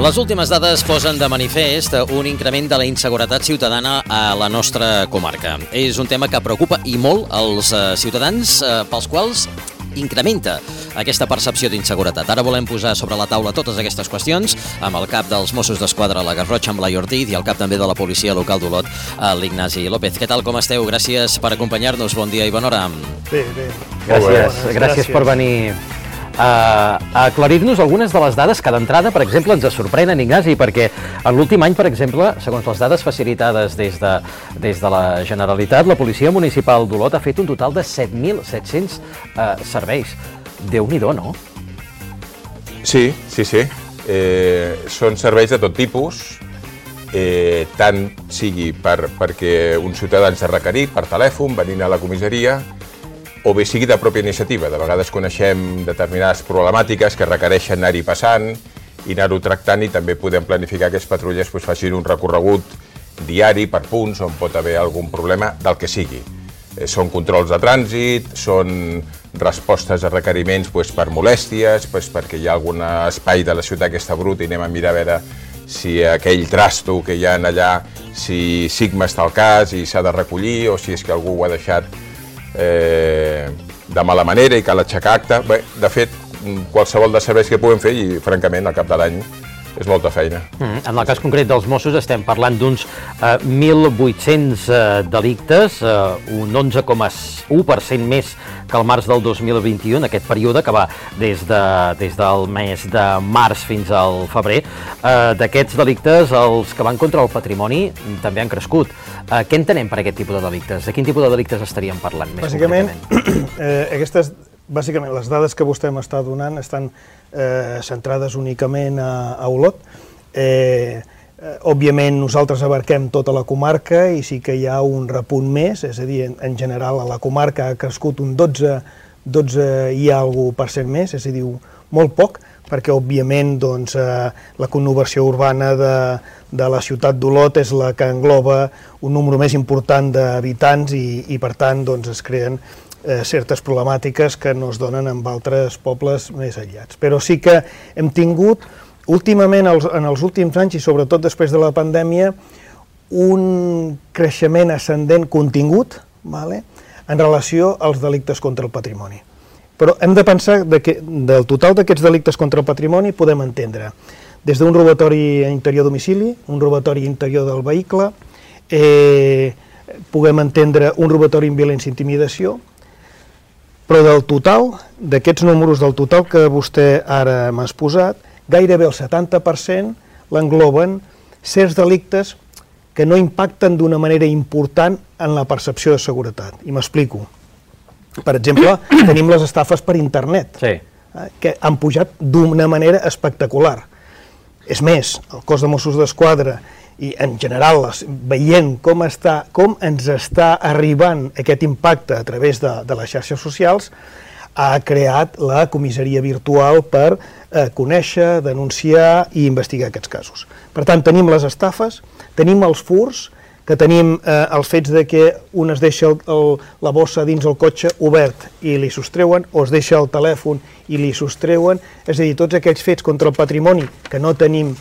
Les últimes dades posen de manifest un increment de la inseguretat ciutadana a la nostra comarca. És un tema que preocupa i molt els ciutadans, pels quals incrementa aquesta percepció d'inseguretat. Ara volem posar sobre la taula totes aquestes qüestions amb el cap dels Mossos d'Esquadra, la Garrotxa, amb Blai Ortiz, i el cap també de la policia local d'Olot, l'Ignasi López. Què tal, com esteu? Gràcies per acompanyar-nos. Bon dia i bona hora. Bé. Gràcies per venir a aclarir-nos algunes de les dades que d'entrada, per exemple, ens sorprenen, Ignasi, perquè en l'últim any, per exemple, segons les dades facilitades des de la Generalitat, la Policia Municipal d'Olot ha fet un total de 7.700 serveis. Déu-n'hi-do, no? Sí. Són serveis de tot tipus, tant sigui perquè un ciutadà ens ha requerit per telèfon, venint a la comissaria, o bé sigui de pròpia iniciativa. De vegades coneixem determinades problemàtiques que requereixen anar-hi passant i anar-ho tractant, i també podem planificar que els patrulles facin un recorregut diari per punts on pot haver algun problema del que sigui. Són controls de trànsit, són respostes a requeriments per molèsties, perquè hi ha algun espai de la ciutat que està brut i anem a mirar a veure si aquell trasto que hi ha allà, si Sigma està al cas i s'ha de recollir, o si és que algú ho ha deixat de mala manera i cal aixecar acta. Bé, de fet, qualsevol de serveis que puguem fer, i francament al cap de l'any és molta feina. En el cas concret dels Mossos estem parlant d'uns 1.800 delictes, un 11,1% més que el març del 2021, aquest període que va des del mes de març fins al febrer. D'aquests delictes, els que van contra el patrimoni també han crescut. Què entenem per aquest tipus de delictes? De quin tipus de delictes estaríem parlant més concretament? Bàsicament, les dades que vostè m'està donant estan centrades únicament a Olot. Òbviament, nosaltres abarquem tota la comarca i sí que hi ha un repunt més, és a dir, en general a la comarca ha crescut un 12 i alguna % més, és a dir, molt poc, perquè òbviament la conurbació urbana de la ciutat d'Olot és la que engloba un número més important d'habitants i per tant es creen certes problemàtiques que no es donen en altres pobles més aïllats. Però sí que hem tingut últimament, en els últims anys i sobretot després de la pandèmia, un creixement ascendent contingut en relació als delictes contra el patrimoni. Però hem de pensar que del total d'aquests delictes contra el patrimoni podem entendre des d'un robatori a interior domicili, un robatori interior del vehicle, puguem entendre un robatori amb violència i intimidació, però del total, d'aquests números del total que vostè ara m'ha exposat, gairebé el 70% l'engloben certs delictes que no impacten d'una manera important en la percepció de seguretat. I m'explico. Per exemple, tenim les estafes per internet, que han pujat d'una manera espectacular. És més, el cos de Mossos d'Esquadra i en general veient com ens està arribant aquest impacte a través de les xarxes socials, ha creat la comissaria virtual per conèixer, denunciar i investigar aquests casos. Per tant, tenim les estafes, tenim els furts, que tenim els fets de que un es deixa la bossa dins el cotxe obert i li sostreuen, o es deixa el telèfon i li sostreuen, és a dir, tots aquells fets contra el patrimoni que no tenim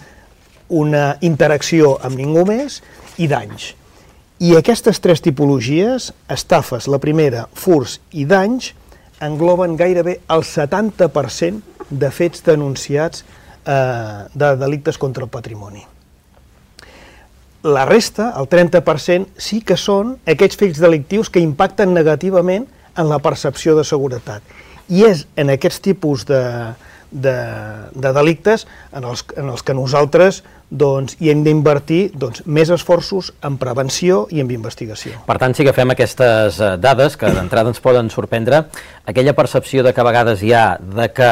una interacció amb ningú més, i danys. I aquestes tres tipologies, estafes, la primera, furts i danys, engloben gairebé el 70% de fets denunciats de delictes contra el patrimoni. La resta, el 30%, sí que són aquests fets delictius que impacten negativament en la percepció de seguretat. I és en aquests tipus de delictes en els que nosaltres hi hem d'invertir més esforços en prevenció i en investigació. Per tant, si agafem aquestes dades, que d'entrada ens poden sorprendre, aquella percepció de que a vegades hi ha de que,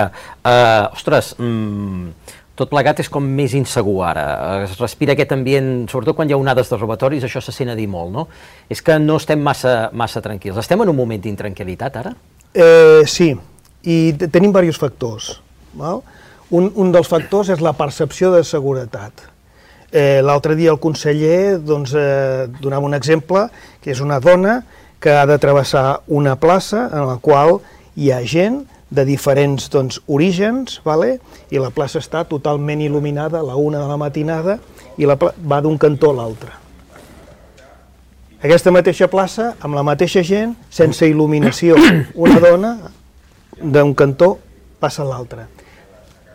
tot plegat és com més insegur ara, es respira aquest ambient, sobretot quan hi ha onades de robatoris, això se sent a dir molt, no? És que no estem massa tranquils. Estem en un moment d'intranquil·litat ara? Sí, i tenim diversos factors. Un dels factors és la percepció de seguretat. L'altre dia el conseller donava un exemple, que és una dona que ha de travessar una plaça en la qual hi ha gent de diferents orígens, i la plaça està totalment il·luminada a la 1 de la matinada i va d'un cantó a l'altre. Aquesta mateixa plaça, amb la mateixa gent, sense il·luminació, una dona d'un cantó passa a l'altre.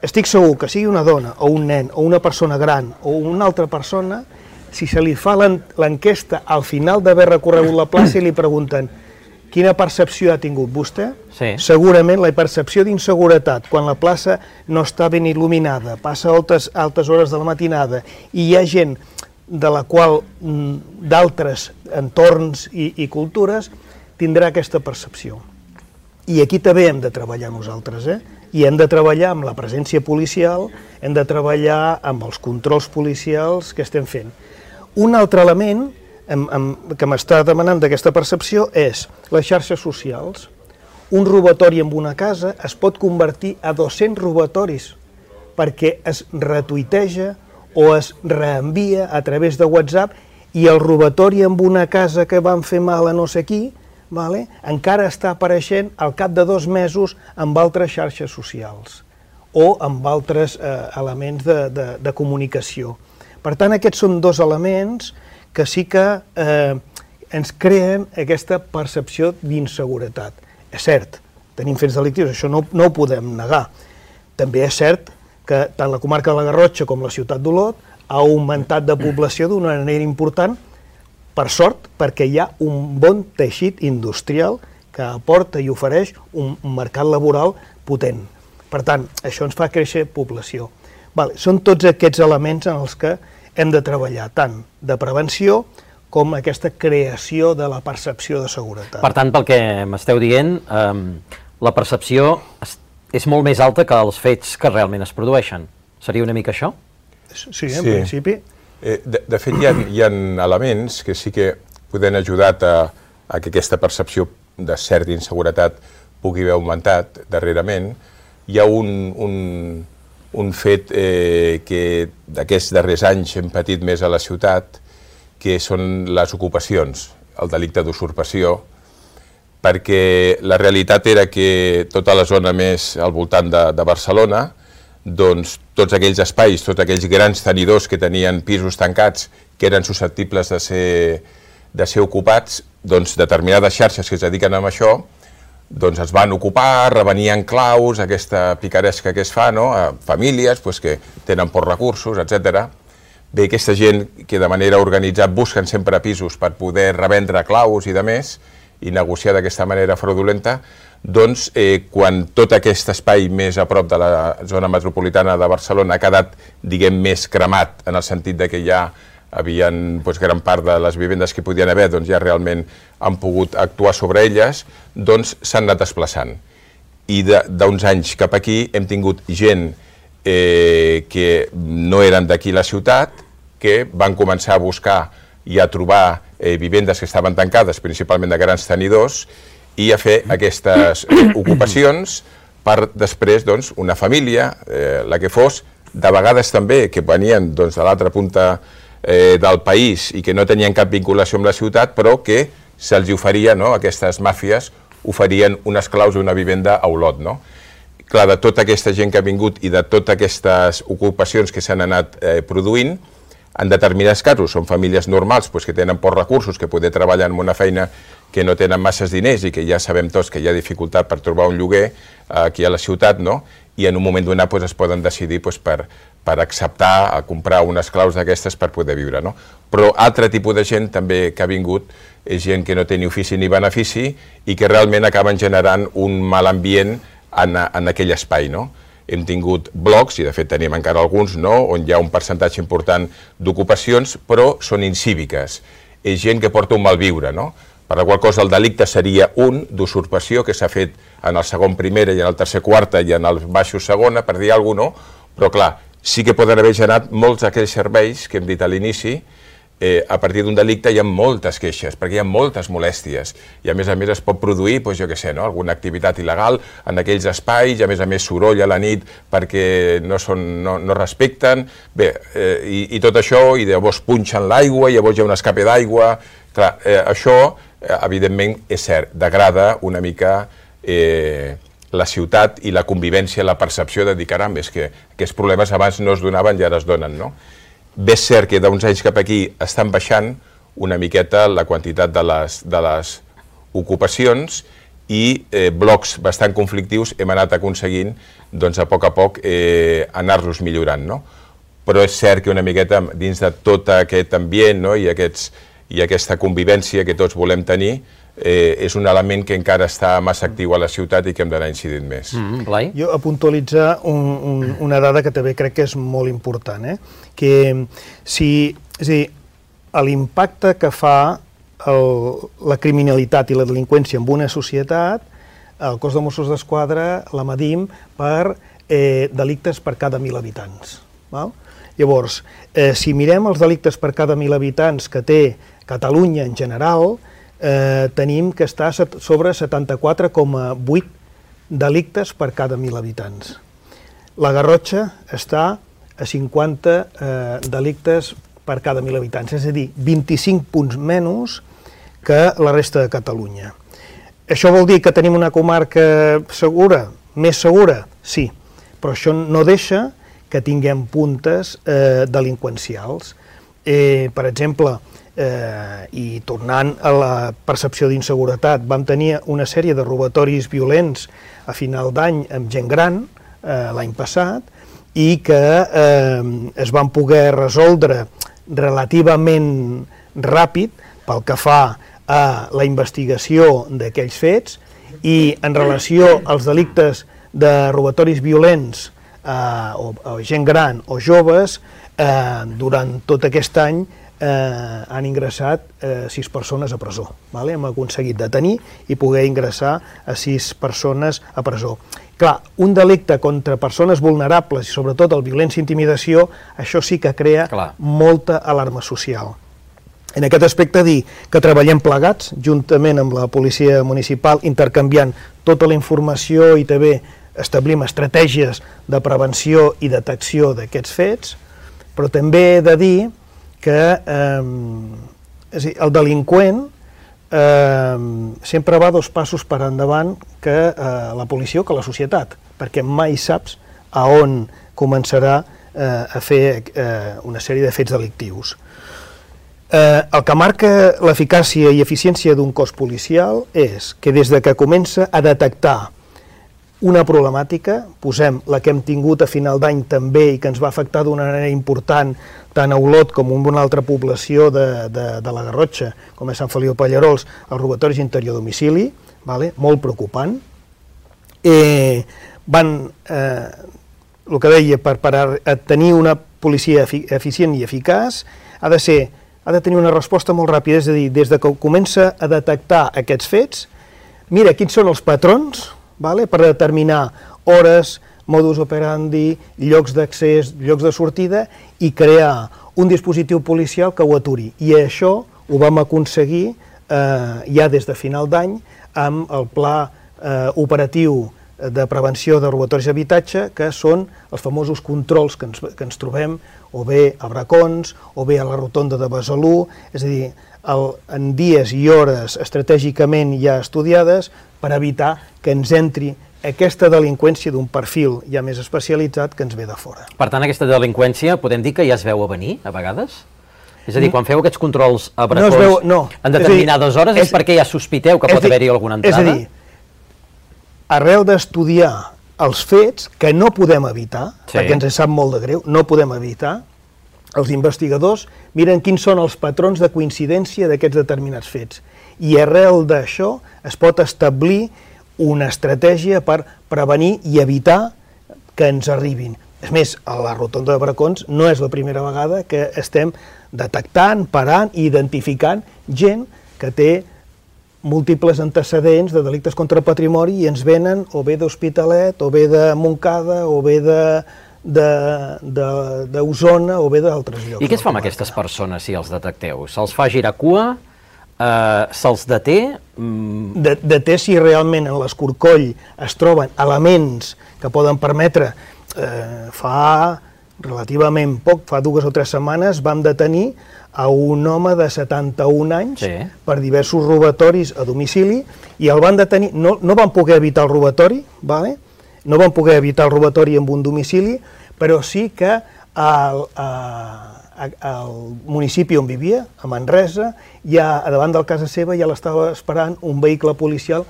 Estic segur que sigui una dona o un nen o una persona gran o una altra persona, si se li fa l'enquesta al final d'haver recorregut la plaça i li pregunten quina percepció ha tingut vostè, segurament la percepció d'inseguretat, quan la plaça no està ben il·luminada, passa altes hores de la matinada i hi ha gent de la qual d'altres entorns i cultures tindrà aquesta percepció. I aquí també hem de treballar nosaltres, i hem de treballar amb la presència policial, hem de treballar amb els controls policials que estem fent. Un altre element que m'està demanant d'aquesta percepció és les xarxes socials. Un robatori en una casa es pot convertir a 200 robatoris perquè es retuiteja o es reenvia a través de WhatsApp i el robatori en una casa que van fer mal a no sé qui encara està apareixent al cap de 2 mesos amb altres xarxes socials o amb altres elements de comunicació. Per tant, aquests són 2 elements que sí que ens creen aquesta percepció d'inseguretat. És cert, tenim fets delictius, això no ho podem negar. També és cert que tant la comarca de la Garrotxa com la ciutat d'Olot ha augmentat de població d'una manera important, per sort, perquè hi ha un bon teixit industrial que aporta i ofereix un mercat laboral potent. Per tant, això ens fa créixer població. Són tots aquests elements en els que hem de treballar, tant de prevenció com aquesta creació de la percepció de seguretat. Per tant, pel que m'esteu dient, la percepció és molt més alta que els fets que realment es produeixen. Seria una mica això? Sí, en principi. De fet, hi ha elements que sí que poden ajudar a que aquesta percepció de certa inseguretat pugui haver augmentat darrerament. Hi ha un fet que d'aquests darrers anys hem patit més a la ciutat, que són les ocupacions, el delicte d'usurpació, perquè la realitat era que tota la zona més al voltant de Barcelona, doncs tots aquells espais, tots aquells grans tenidors que tenien pisos tancats que eren susceptibles de ser ocupats, doncs determinades xarxes que es dediquen a això, doncs es van ocupar, revenien claus, aquesta picaresca que es fa, a famílies que tenen pocs recursos, etc. Bé, aquesta gent que de manera organitzada busquen sempre pisos per poder revendre claus i de més, i negociar d'aquesta manera fraudulenta, doncs quan tot aquest espai més a prop de la zona metropolitana de Barcelona ha quedat, diguem, més cremat, en el sentit de que ja havien gran part de les vivendes que podien haver, doncs ja realment han pogut actuar sobre elles, doncs s'han anat desplaçant. I d'uns anys cap aquí hem tingut gent que no eren d'aquí la ciutat, que van començar a buscar i a trobar vivendes que estaven tancades, principalment de grans tenidors, i a fer aquestes ocupacions per després una família, la que fos, de vegades també que venien de l'altra punta del país i que no tenien cap vinculació amb la ciutat, però que se'ls oferia, aquestes màfies oferien unes claus d'una vivenda a Olot. Clar, de tota aquesta gent que ha vingut i de totes aquestes ocupacions que s'han anat produint, en determinats casos són famílies normals que tenen pocs recursos, que poder treballar en una feina que no tenen masses diners i que ja sabem tots que hi ha dificultat per trobar un lloguer aquí a la ciutat, i en un moment donat es poden decidir per acceptar a comprar unes claus d'aquestes per poder viure. Però altre tipus de gent també que ha vingut és gent que no té ni ofici ni benefici i que realment acaben generant un mal ambient en aquell espai. Hem tingut blocs, i de fet tenim encara alguns, on hi ha un percentatge important d'ocupacions, però són incíviques. És gent que porta un malviure, per la qual cosa el delicte seria un d'usurpació que s'ha fet en el segon primera i en el tercer quarta i en el baixo segona, per dir alguna cosa, però clar, sí que poden haver generat molts d'aquells serveis que hem dit a l'inici. A partir d'un delicte hi ha moltes queixes, perquè hi ha moltes molèsties, i a més es pot produir, alguna activitat il·legal en aquells espais, i a més soroll a la nit perquè no respecten, bé, i tot això, i llavors punxen l'aigua, i llavors hi ha un escape d'aigua. Clar, això, evidentment, és cert, degrada una mica la ciutat i la convivència, la percepció de dir, caram, és que aquests problemes abans no es donaven i ara es donen, no? Bé és cert que d'uns anys cap aquí estan baixant una miqueta la quantitat de les ocupacions i blocs bastant conflictius hem anat aconseguint, doncs, a poc anar-los millorant, no? Però és cert que una miqueta dins de tot aquest ambient, no? i aquesta convivència que tots volem tenir, és un element que encara està massa actiu a la ciutat i que hem d'anar incidint més. Blai? Jo a puntualitzar una dada que també crec que és molt important, que l'impacte que fa la criminalitat i la delinqüència en una societat, el cos de Mossos d'Esquadra la medim per delictes per cada 1.000 habitants. Llavors, si mirem els delictes per cada 1.000 habitants que té Catalunya en general, tenim que està sobre 74,8 delictes per cada 1.000 habitants. La Garrotxa està a 50 delictes per cada 1.000 habitants, és a dir, 25 punts menys que la resta de Catalunya. Això vol dir que tenim una comarca segura, més segura? Sí, però això no deixa que tinguem puntes delinqüencials. Per exemple, i tornant a la percepció d'inseguretat, vam tenir una sèrie de robatoris violents a final d'any amb gent gran l'any passat i que es van poder resoldre relativament ràpid pel que fa a la investigació d'aquells fets i en relació als delictes de robatoris violents o gent gran o joves, durant tot aquest any han ingressat 6 persones a presó. Hem aconseguit detenir i poder ingressar a 6 persones a presó. Clar, un delicte contra persones vulnerables i sobretot el violència i intimidació, això sí que crea molta alarma social. En aquest aspecte dir que treballem plegats, juntament amb la policia municipal, intercanviant tota la informació i també establim estratègies de prevenció i detecció d'aquests fets, però també he de dir que el delinqüent sempre va 2 passos per endavant que la policia o que la societat, perquè mai saps a on començarà a fer una sèrie de fets delictius. El que marca l'eficàcia i eficiència d'un cos policial és que des de que comença a detectar una problemàtica, posem la que hem tingut a final d'any també i que ens va afectar d'una manera important tant a Olot com en una altra població de la Garrotxa, com és Sant Feliu de Pallerols, els robatoris interior a domicili, molt preocupant. El que deia, per tenir una policia eficient i eficaç, ha de tenir una resposta molt ràpida, és a dir, des que comença a detectar aquests fets, mira quins són els patrons, per determinar hores, modus operandi, llocs d'accés, llocs de sortida i crear un dispositiu policial que ho aturi. I això ho vam aconseguir ja des de final d'any amb el pla operatiu de prevenció de robatoris d'habitatge, que són els famosos controls que ens trobem o bé a Bracons o bé a la rotonda de Besalú, és a dir, en dies i hores estratègicament ja estudiades per evitar que ens entri aquesta delinqüència d'un perfil ja més especialitzat que ens ve de fora. Per tant, aquesta delinqüència podem dir que ja es veu a venir, a vegades? És a dir, quan feu aquests controls a Bracons en determinades hores és perquè ja sospiteu que pot haver-hi alguna entrada? És a dir, arrel d'estudiar els fets que no podem evitar, perquè ens sap molt de greu, no podem evitar, els investigadors miren quins són els patrons de coincidència d'aquests determinats fets. I arrel d'això es pot establir una estratègia per prevenir i evitar que ens arribin. És més, a la rotonda de Bracons no és la primera vegada que estem detectant, parant i identificant gent que té múltiples antecedents de delictes contra el patrimoni i ens venen o bé d'Hospitalet, o bé de Montcada, o bé d'Osona, o bé d'altres llocs. I què es fa amb aquestes persones si els detecteu? Se'ls fa girar cua? Se'ls deté? Deté si realment en l'escorcoll es troben elements que poden permetre fa relativament poc, fa 2 o 3 setmanes, vam detenir a un home de 71 anys per diversos robatoris a domicili i el van detenir, no van poder evitar el robatori, no van poder evitar el robatori en un domicili, però sí que al municipi on vivia, a Manresa, ja a davant de casa seva ja l'estava esperant un vehicle policial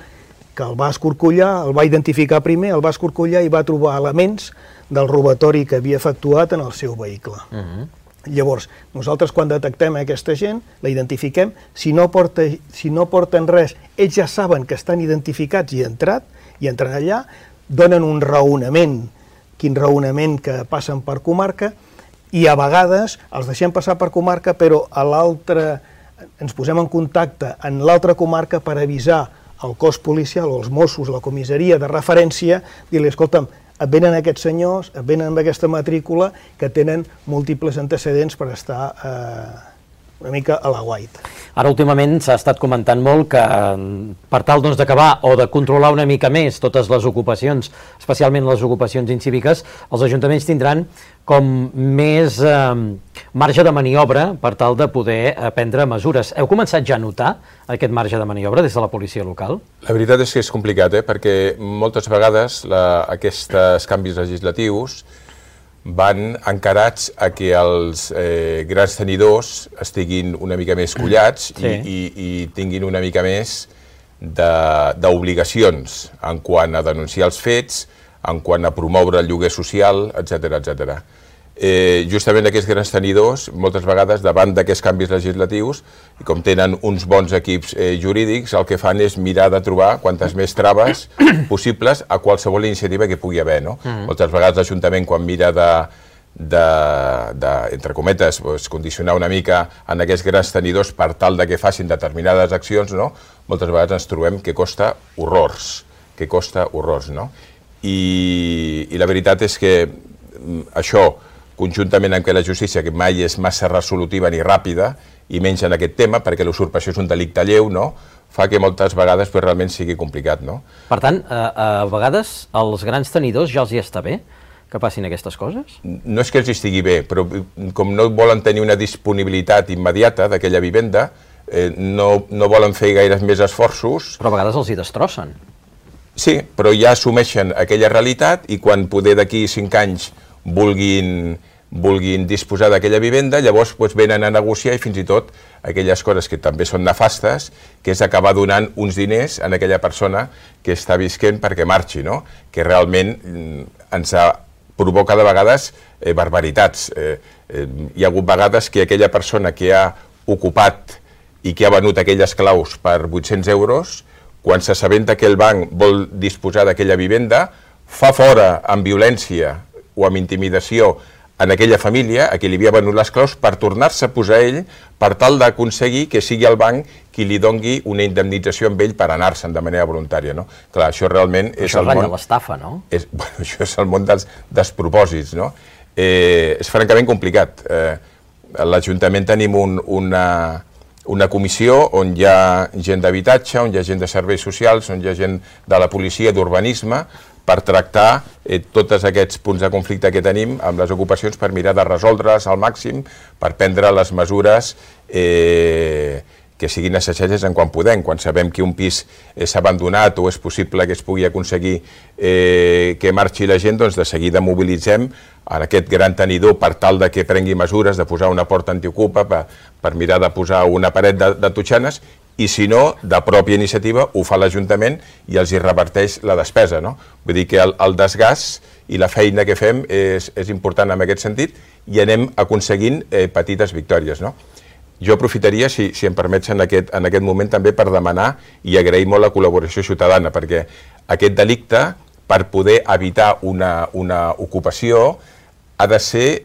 que el va escorcollar, el va identificar primer, el va escorcollar i va trobar elements del robatori que havia efectuat en el seu vehicle. Llavors, nosaltres quan detectem aquesta gent, la identifiquem, si no porten res, ells ja saben que estan identificats i entren allà, donen un raonament, quin raonament que passen per comarca, i a vegades els deixem passar per comarca, però a l'altra ens posem en contacte en l'altra comarca per avisar el cos policial o els Mossos, la comissaria de referència, dir-li, escolta'm, et venen aquests senyors, et venen amb aquesta matrícula que tenen múltiples antecedents per estar una mica a la guaita. Ara últimament s'ha estat comentant molt que per tal d'acabar o de controlar una mica més totes les ocupacions, especialment les ocupacions incíviques, els ajuntaments tindran com més marge de maniobra per tal de poder prendre mesures. Heu començat ja a notar aquest marge de maniobra des de la policia local? La veritat és que és complicat, perquè moltes vegades aquests canvis legislatius van encarats a que els grans tenidors estiguin una mica més collats i tinguin una mica més d'obligacions en quant a denunciar els fets, en quant a promoure el lloguer social, etc. Justament aquests grans tenidors, moltes vegades, davant d'aquests canvis legislatius, i com tenen uns bons equips jurídics, el que fan és mirar de trobar quantes més traves possibles a qualsevol iniciativa que pugui haver. Moltes vegades l'Ajuntament, quan mira entre cometes, condicionar una mica en aquests grans tenidors per tal de que facin determinades accions, moltes vegades ens trobem que costa horrors, I la veritat és que això, conjuntament amb que la justícia, que mai és massa resolutiva ni ràpida, i menys en aquest tema, perquè l'usurpació és un delicte lleu, fa que moltes vegades realment sigui complicat. Per tant, a vegades als grans tenidors ja els hi està bé que passin aquestes coses? No és que els estigui bé, però com no volen tenir una disponibilitat immediata d'aquella vivenda, no volen fer gaires més esforços. Però a vegades els hi destrossen. Sí, però ja assumeixen aquella realitat i quan poder d'aquí 5 anys vulguin disposar d'aquella vivenda, llavors venen a negociar i fins i tot aquelles coses que també són nefastes, que és acabar donant uns diners a aquella persona que està visquent perquè marxi, que realment ens provoca de vegades barbaritats. Hi ha hagut vegades que aquella persona que ha ocupat i que ha venut aquelles claus per 800 euros, quan s'assabenta que el banc vol disposar d'aquella vivenda, fa fora amb violència o amb intimidació en aquella família, a qui li havia venut les claus, per tornar-se a posar ell, per tal d'aconseguir que sigui el banc qui li dongui una indemnització amb ell per anar-se'n de manera voluntària. Clar, això realment és el món... Això ratlla l'estafa, no? Això és el món dels despropòsits, és francament complicat. A l'Ajuntament tenim una comissió on hi ha gent d'habitatge, on hi ha gent de serveis socials, on hi ha gent de la policia, d'urbanisme, per tractar tots aquests punts de conflicte que tenim amb les ocupacions per mirar de resoldre's al màxim, per prendre les mesures que siguin necessàries en quan podem. Quan sabem que un pis és abandonat o és possible que es pugui aconseguir que marxi la gent, doncs de seguida mobilitzem aquest gran tenidor per tal de que prengui mesures de posar una porta antiocupa, per mirar de posar una paret de totxanes, i si no, de pròpia iniciativa, ho fa l'Ajuntament i els hi reverteix la despesa. Vull dir que el desgast i la feina que fem és important en aquest sentit i anem aconseguint petites victòries. Jo aprofitaria, si em permets, en aquest moment també per demanar i agrair molt la col·laboració ciutadana, perquè aquest delicte, per poder evitar una ocupació, ha de ser,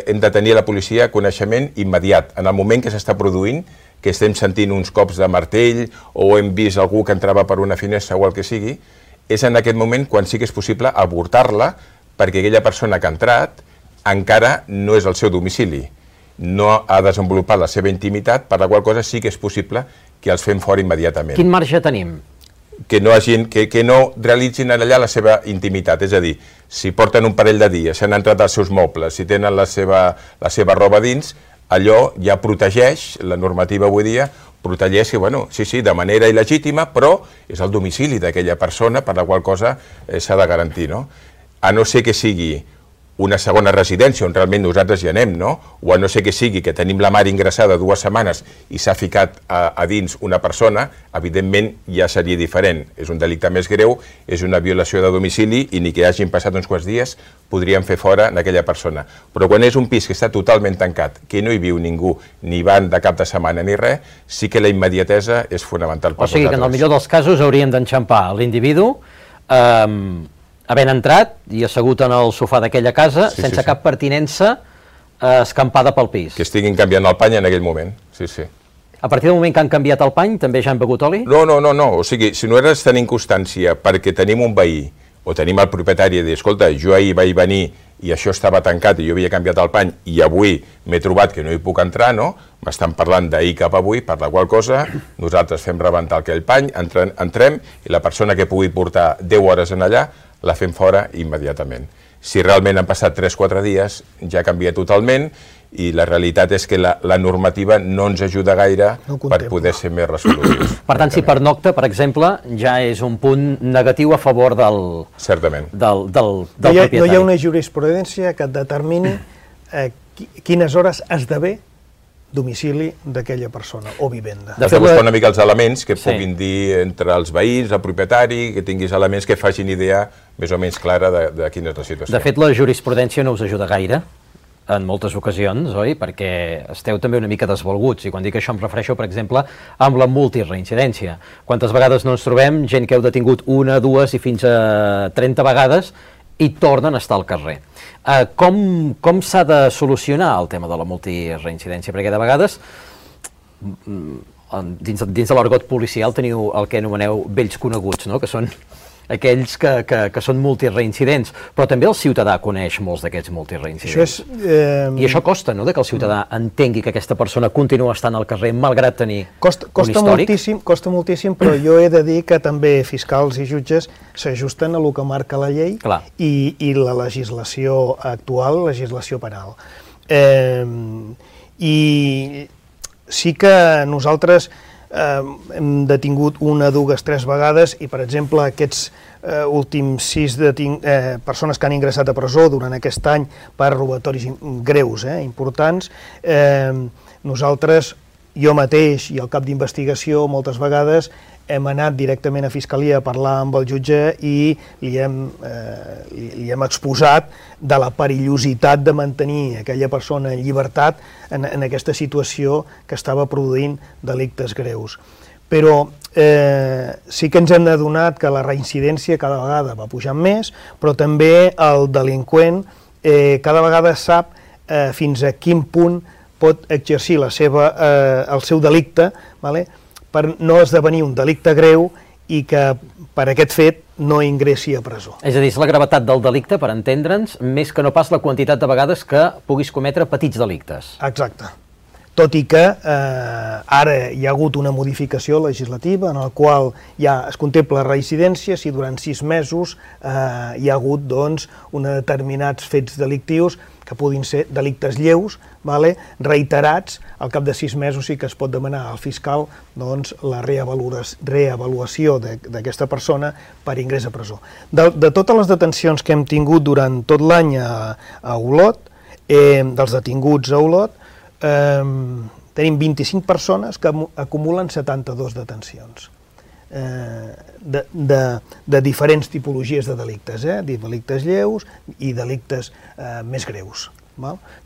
hem de tenir a la policia coneixement immediat. En el moment que s'està produint, que estem sentint uns cops de martell o hem vist algú que entrava per una finestra o el que sigui, és en aquest moment quan sí que és possible avortar-la perquè aquella persona que ha entrat encara no és el seu domicili, no ha desenvolupat la seva intimitat, per la qual cosa sí que és possible que els fem fora immediatament. Quin marge tenim? que no realitzin allà la seva intimitat, és a dir, si porten un parell de dies, s'han entrat als seus mobles, si tenen la seva roba dins, allò ja protegeix, la normativa avui dia, protegeix, bueno, sí, de manera il·legítima, però és el domicili d'aquella persona, per la qual cosa s'ha de garantir, no? A no ser que sigui una segona residència on realment nosaltres hi anem, no? O a no ser que sigui que tenim la mare ingressada 2 setmanes i s'ha ficat a dins una persona, evidentment ja seria diferent. És un delicte més greu, és una violació de domicili i ni que hagin passat uns quants dies podríem fer fora aquella persona. Però quan és un pis que està totalment tancat, que no hi viu ningú, ni van de cap de setmana ni res, sí que la immediatesa és fonamental per nosaltres. O sigui que en el millor dels casos hauríem d'enxampar l'individu havent entrat i assegut en el sofà d'aquella casa, sense cap pertinença escampada pel pis. Que estiguin canviant el pany en aquell moment, sí. A partir del moment que han canviat el pany, també ja han begut oli? No, o sigui, si nosaltres tenim constància perquè tenim un veí o tenim el propietari i dir, escolta, jo ahir vaig venir i això estava tancat i jo havia canviat el pany i avui m'he trobat que no hi puc entrar, no? M'estan parlant d'ahir cap avui, per la qual cosa nosaltres fem rebentar aquell pany, entrem i la persona que pugui portar 10 hores en allà la fem fora immediatament. Si realment han passat 3-4 dies, ja canvia totalment i la realitat és que la normativa no ens ajuda gaire per poder ser més resolutius. Per tant, si pernocta, per exemple, ja és un punt negatiu a favor del propietari. No hi ha una jurisprudència que determini quines hores esdevé domicili d'aquella persona o vivenda. Has de buscar una mica els elements que puguin dir entre els veïns, el propietari, que tinguis elements que facin idea més o menys clara de quina és la situació. De fet, la jurisprudència no us ajuda gaire en moltes ocasions, oi? Perquè esteu també una mica desvalguts, i quan dic això em refereixo, per exemple, amb la multireincidència. Quantes vegades no ens trobem gent que heu detingut 1, 2 i fins a 30 vegades i tornen a estar al carrer. Com s'ha de solucionar el tema de la multireincidència? Perquè de vegades, dins de l'argot policial, teniu el que anomeneu vells coneguts, no? Que són aquells que són multireincidents, però també el ciutadà coneix molts d'aquests multireincidents. I això costa, no?, que el ciutadà entengui que aquesta persona continua estant al carrer malgrat tenir un històric. Costa moltíssim, però jo he de dir que també fiscals i jutges s'ajusten a el que marca la llei i la legislació actual, legislació penal. I sí que nosaltres hem detingut 1, 2, 3 vegades i, per exemple, aquests últims 6 persones que han ingressat a presó durant aquest any per robatoris greus, importants, nosaltres, jo mateix i el cap d'investigació, moltes vegades hem anat directament a Fiscalia a parlar amb el jutge i li hem exposat de la perillositat de mantenir aquella persona en llibertat en aquesta situació que estava produint delictes greus. Però sí que ens hem adonat que la reincidència cada vegada va pujant més, però també el delinqüent cada vegada sap fins a quin punt pot exercir el seu delicte, per no esdevenir un delicte greu i que per aquest fet no ingressi a presó. És a dir, és la gravetat del delicte, per entendre'ns, més que no pas la quantitat de vegades que puguis cometre petits delictes. Exacte. Tot i que ara hi ha hagut una modificació legislativa en la qual ja es contempla reincidència si durant 6 mesos hi ha hagut determinats fets delictius que puguin ser delictes lleus, reiterats, al cap de 6 mesos sí que es pot demanar al fiscal la reavaluació d'aquesta persona per ingrés a presó. De totes les detencions que hem tingut durant tot l'any a Olot, dels detinguts a Olot, tenim 25 persones que acumulen 72 detencions de diferents tipologies de delictes, delictes lleus i delictes més greus.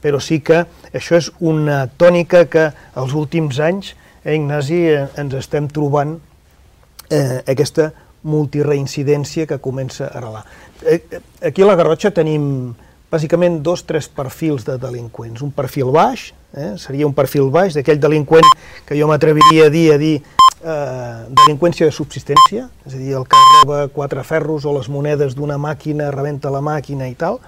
Però sí que això és una tònica que els últims anys, Ignasi, ens estem trobant aquesta multireincidència que comença a arrelar. Aquí a la Garrotxa tenim bàsicament 2-3 perfils de delinqüents. Un perfil baix, seria un perfil baix d'aquell delinqüent que jo m'atreviria a dir delinqüència de subsistència, és a dir, el que roba 4 ferros o les monedes d'una màquina, rebenta la màquina i tal.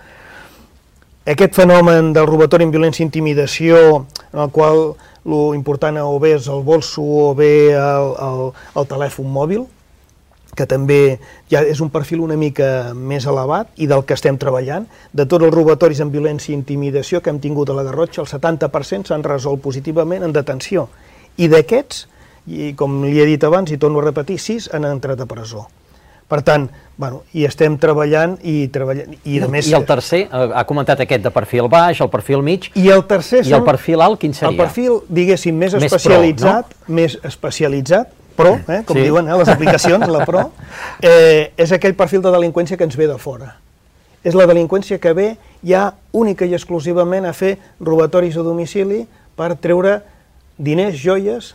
Aquest fenomen del robatori amb violència i intimidació, en el qual l'important o bé és el bolso o bé el telèfon mòbil, que també ja és un perfil una mica més elevat i del que estem treballant. De tots els robatoris amb violència i intimidació que hem tingut a la Garrotxa, el 70% s'han resolt positivament en detenció. I d'aquests, i com li he dit abans i torno a repetir, 6 han entrat a presó. Per tant, hi estem treballant i a més... I el tercer, ha comentat aquest de perfil baix, el perfil mig... I el tercer... I el perfil alt, quin seria? El perfil, diguéssim, més especialitzat, pro, com diuen les aplicacions, la pro, és aquell perfil de delinqüència que ens ve de fora. És la delinqüència que ve ja única i exclusivament a fer robatoris a domicili per treure diners, joies,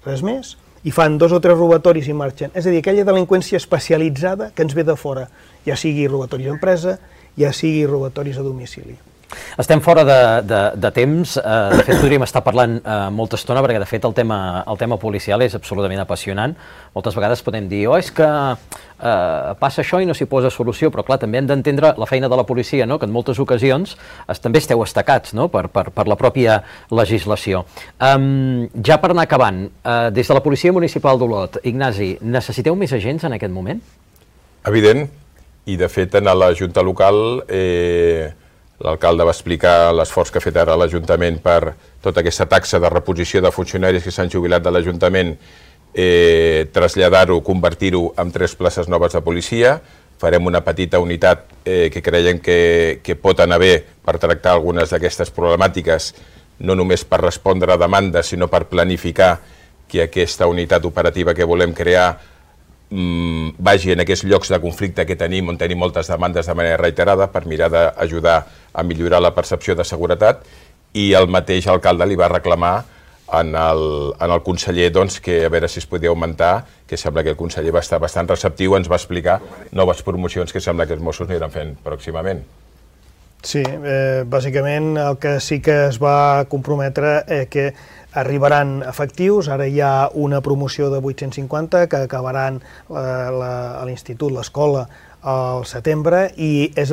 res més, i fan 2 o 3 robatoris i marxen. És a dir, aquella delinqüència especialitzada que ens ve de fora, ja sigui robatoris a empresa, ja sigui robatoris a domicili. Estem fora de temps, de fet podríem estar parlant molta estona perquè de fet el tema policial és absolutament apassionant. Moltes vegades podem dir, és que passa això i no s'hi posa solució, però clar, també hem d'entendre la feina de la policia, que en moltes ocasions també esteu estacats per la pròpia legislació. Ja per anar acabant, des de la Policia Municipal d'Olot, Ignasi, necessiteu més agents en aquest moment? Evident, i de fet en la Junta Local l'alcalde va explicar l'esforç que ha fet ara l'Ajuntament per tota aquesta taxa de reposició de funcionaris que s'han jubilat de l'Ajuntament, traslladar-ho, convertir-ho en 3 places noves de policia. Farem una petita unitat que creiem que pot anar bé per tractar algunes d'aquestes problemàtiques, no només per respondre a demandes, sinó per planificar que aquesta unitat operativa que volem crear vagi en aquests llocs de conflicte que tenim, on tenim moltes demandes de manera reiterada, per mirar d'ajudar a millorar la percepció de seguretat, i el mateix alcalde li va reclamar en el conseller que a veure si es podia augmentar, que sembla que el conseller va estar bastant receptiu, ens va explicar noves promocions que sembla que els Mossos aniran fent pròximament. Sí, bàsicament el que sí que es va comprometre que arribaran efectius, ara hi ha una promoció de 850 que acabaran a l'institut, l'escola, al setembre, i és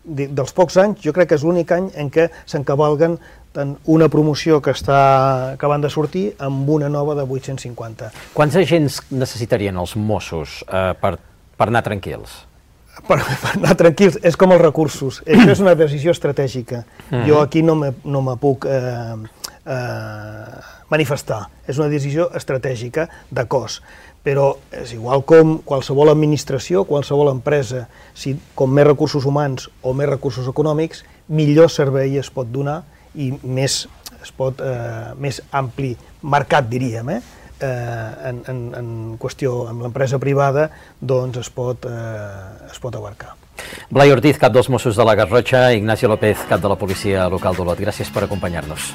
dels pocs anys, jo crec que és l'únic any en què s'encavalguen tant una promoció que està acabant de sortir amb una nova de 850. Quants agents necessitarien els Mossos per anar tranquils? Per anar tranquils, és com els recursos, això és una decisió estratègica. Jo aquí no me puc manifestar, és una decisió estratègica de cost, però és igual com qualsevol administració, qualsevol empresa, si com més recursos humans o més recursos econòmics, millor servei es pot donar i més ampli mercat, diríem, en qüestió amb l'empresa privada, doncs es pot abarcar. Blai Ortiz, cap dels Mossos de la Garrotxa, Ignacio López, cap de la Policia Local d'Olot. Gràcies per acompanyar-nos.